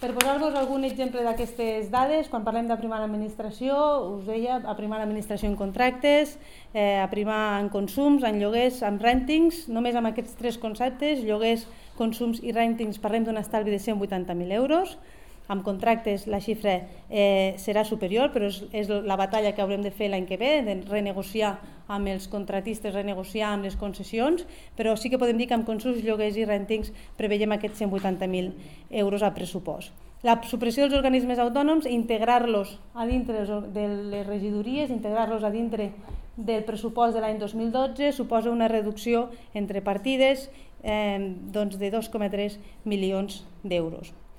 Per posar-vos algun exemple d'aquestes dades, quan parlem d'aprimar l'administració, us deia, aprimar l'administració en contractes, aprimar en consums, en lloguers, en rèntings, només amb aquests tres conceptes, lloguers, consums i rèntings, parlem d'un estalvi de 180.000 euros. Amb contractes la xifra serà superior, però és la batalla que haurem de fer l'any que ve, de renegociar amb els contratistes, renegociar amb les concessions, però sí que podem dir que amb consums, lloguers i rèntings preveiem aquests 180.000 euros a pressupost. La supressió dels organismes autònoms, integrar-los a dintre de les regidories, integrar-los a dintre del pressupost de l'any 2012, suposa una reducció entre partides de 2,3 milions d'euros.